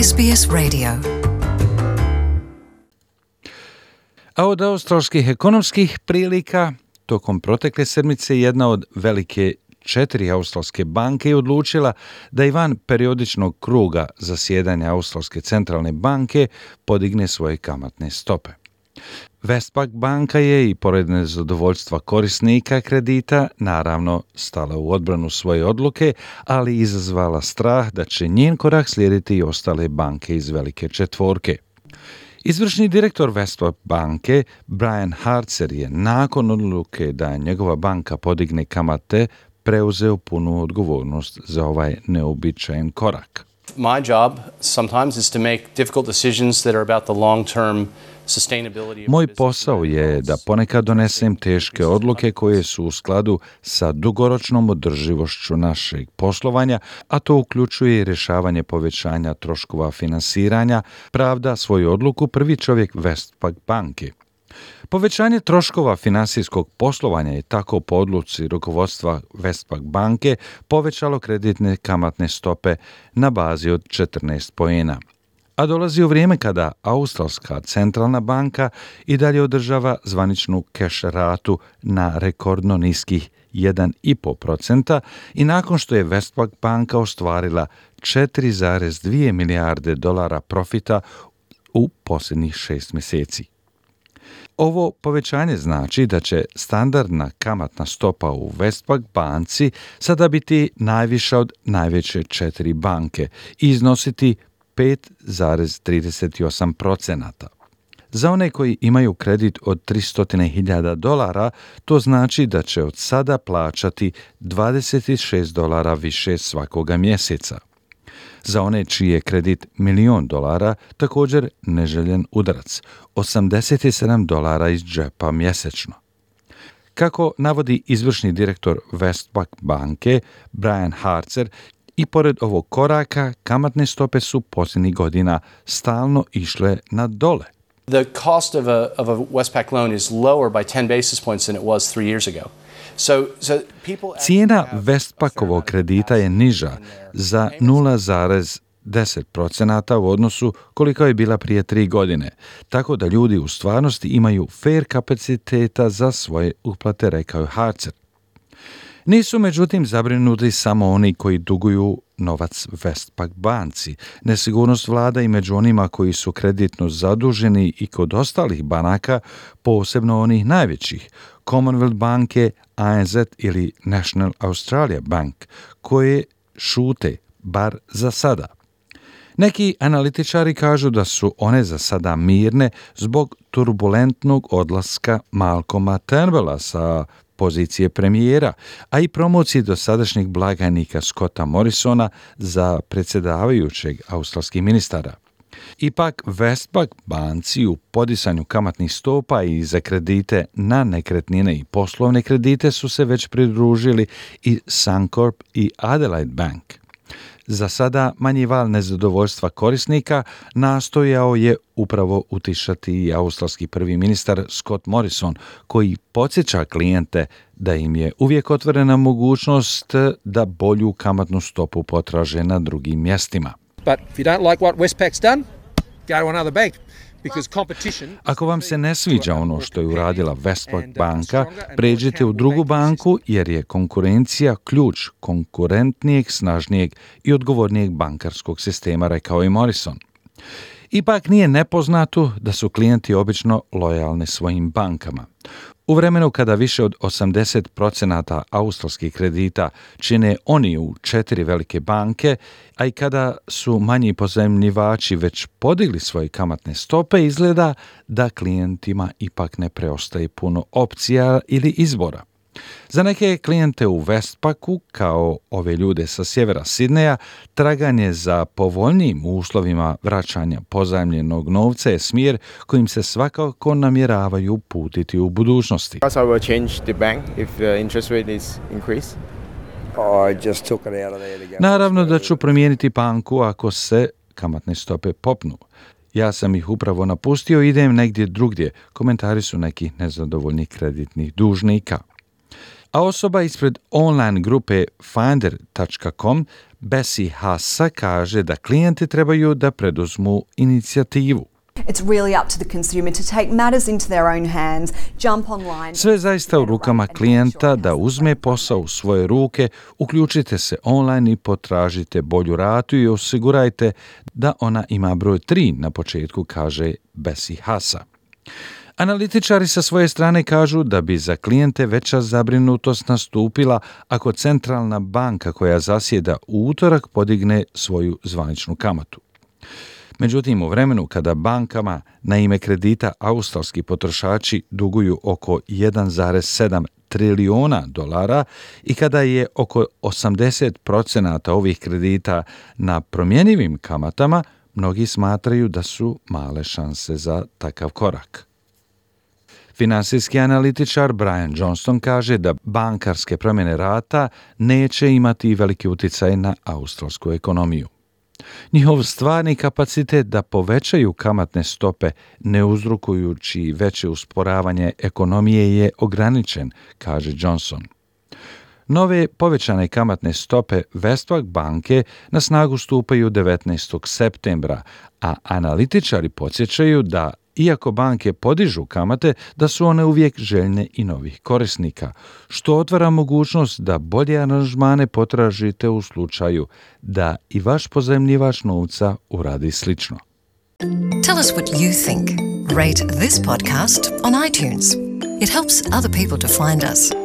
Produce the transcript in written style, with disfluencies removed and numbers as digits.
SBS Radio. A od australskih ekonomskih prilika, tokom protekle sedmice jedna od velike 4 australske banke je odlučila da i van periodičnog kruga zasjedanja Australske centralne banke podigne svoje kamatne stope. Westpac banka je i pored nezadovoljstva korisnika kredita naravno stala u odbranu svoje odluke, ali izazvala strah da će njen korak slijediti i ostale banke iz velike četvorke. Izvršni direktor Westpac banke Brian Hartzer je nakon odluke da njegova banka podigne kamate preuzeo punu odgovornost za ovaj neobičajen korak. My job sometimes is to make difficult decisions that are about the long-term sustainability. Moj posao je da ponekad donesem teške odluke koje su u skladu sa dugoročnom održivošću našeg poslovanja, a to uključuje i rješavanje povećanja troškova finansiranja, pravda svoju odluku prvi čovjek Westpac banke. Povećanje troškova finansijskog poslovanja je tako po odluci rukovodstva Westpac banke povećalo kreditne kamatne stope na bazi od 14 poena. A dolazi u vrijeme kada Australska centralna banka i dalje održava zvaničnu keš ratu na rekordno niskih 1,5% i nakon što je Westpac banka ostvarila 4,2 milijarde dolara profita u posljednjih 6 mjeseci. Ovo povećanje znači da će standardna kamatna stopa u Westpac banci sada biti najviša od najveće 4 banke i iznositi 5,38%. Za one koji imaju kredit od $300,000, to znači da će od sada plaćati $26 više svakoga mjeseca. Za one čiji je kredit $1.000.000, također neželjen udarac, $87 iz džepa mjesečno. Kako navodi izvršni direktor Westpac banke Brian Hartzer, i pored ovog koraka kamatne stope su posljednjih godina stalno išle na dole. The cost of a Westpac loan is lower by 10 basis points than it was 3 years ago. Cijena Westpacovog kredita je niža za 0,10% u odnosu koliko je bila prije 3 godine, tako da ljudi u stvarnosti imaju fair kapaciteta za svoje uplate, rekao je Hartzer. Nisu međutim zabrinuti samo oni koji duguju novac Westpac banci. Nesigurnost vlada i među onima koji su kreditno zaduženi i kod ostalih banaka, posebno onih najvećih, Commonwealth banke, ANZ ili National Australia Bank, koje šute, bar za sada. Neki analitičari kažu da su one za sada mirne zbog turbulentnog odlaska Malcolma Turnbulla sa pozicije premijera, a i promocije dosadašnjeg blagajnika Scotta Morrisona za predsjedavajućeg australskih ministara. Ipak Westpac banci u podisanju kamatnih stopa i za kredite na nekretnine i poslovne kredite su se već pridružili i Suncorp i Adelaide Bank. Za sada manji val nezadovoljstva korisnika nastojao je upravo utišati i australski prvi ministar Scott Morrison, koji podsjeća klijente da im je uvijek otvorena mogućnost da bolju kamatnu stopu potraže na drugim mjestima. But if you don't like what Westpac's done, go to another bank. Ako vam se ne sviđa ono što je uradila Westpac banka, pređite u drugu banku jer je konkurencija ključ konkurentnijeg, snažnijeg i odgovornijeg bankarskog sistema, rekao je Morrison. Ipak nije nepoznato da su klijenti obično lojalni svojim bankama. U vremenu kada više od 80% australskih kredita čine oni u 4 velike banke, a i kada su manji pozajmljivači već podigli svoje kamatne stope, izgleda da klijentima ipak ne preostaje puno opcija ili izbora. Za neke klijente u Westpacu, kao ove ljude sa sjevera Sidneja, traganje za povoljnijim uslovima vraćanja pozajmljenog novca je smjer kojim se svakako namjeravaju uputiti u budućnosti. Naravno da ću promijeniti banku ako se kamatne stope popnu. Ja sam ih upravo napustio i idem negdje drugdje, komentari su nekih nezadovoljnih kreditnih dužnika. A osoba ispred online grupe Finder.com, Bessie Hassa, kaže da klijenti trebaju da preduzmu inicijativu. It's really up to the consumer to take matters into their own hands, jump online. Sve zaista u rukama klijenta da uzme posao u svoje ruke, uključite se online i potražite bolju ratu i osigurajte da ona ima broj 3 na početku, kaže Bessie Hassa. Analitičari sa svoje strane kažu da bi za klijente veća zabrinutost nastupila ako centralna banka koja zasjeda u utorak podigne svoju zvaničnu kamatu. Međutim, u vremenu kada bankama na ime kredita australski potrošači duguju oko 1,7 trilijuna dolara i kada je oko 80% ovih kredita na promjenjivim kamatama, mnogi smatraju da su male šanse za takav korak. Finansijski analitičar Brian Johnston kaže da bankarske promjene rata neće imati veliki utjecaj na australsku ekonomiju. Njihov stvarni kapacitet da povećaju kamatne stope ne uzrokujući veće usporavanje ekonomije je ograničen, kaže Johnson. Nove povećane kamatne stope Westpac banke na snagu stupaju 19. septembra, a analitičari podsjećaju da iako banke podižu kamate, da su one uvijek željne i novih korisnika, što otvara mogućnost da bolje aranžmane potražite u slučaju da i vaš pozajmljivač novca uradi slično. Tell us what you think. Rate this podcast on iTunes. It helps other people to find us.